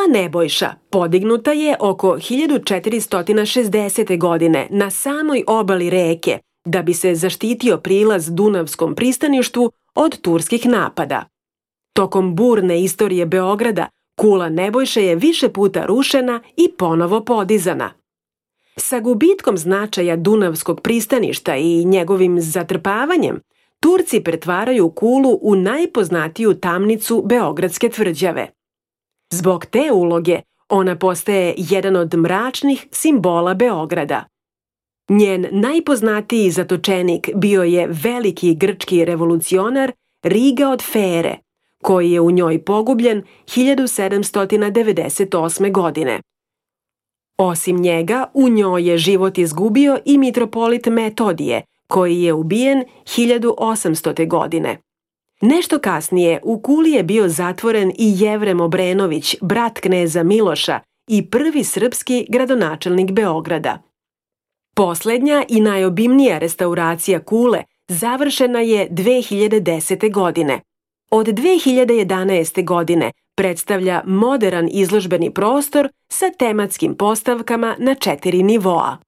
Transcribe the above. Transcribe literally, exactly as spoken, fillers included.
Nebojša podignuta je oko hiljadu četiristo šezdesete. godine na samoj obali reke da bi se zaštitio prilaz Dunavskom pristaništu od turskih napada. Tokom burne istorije Beograda, kula Nebojše je više puta rušena i ponovo podizana. Sa gubitkom značaja Dunavskog pristaništa i njegovim zatrpavanjem, Turci pretvaraju kulu u najpoznatiju tamnicu Beogradske tvrđave. Zbog te uloge, ona postaje jedan od mračnih simbola Beograda. Njen najpoznatiji zatočenik bio je veliki grčki revolucionar Riga od Fere, koji je u njoj pogubljen hiljadu sedamsto devedeset osme. godine. Osim njega, u njoj je život izgubio i mitropolit Metodije, koji je ubijen hiljadu osamstote. godine. Nešto kasnije u kuli je bio zatvoren i Jevrem Obrenović, brat kneza Miloša i prvi srpski gradonačelnik Beograda. Poslednja i najobimnija restauracija kule završena je dve hiljade desete. godine. Od dve hiljade jedanaeste. godine predstavlja moderan izložbeni prostor sa tematskim postavkama na četiri nivoa.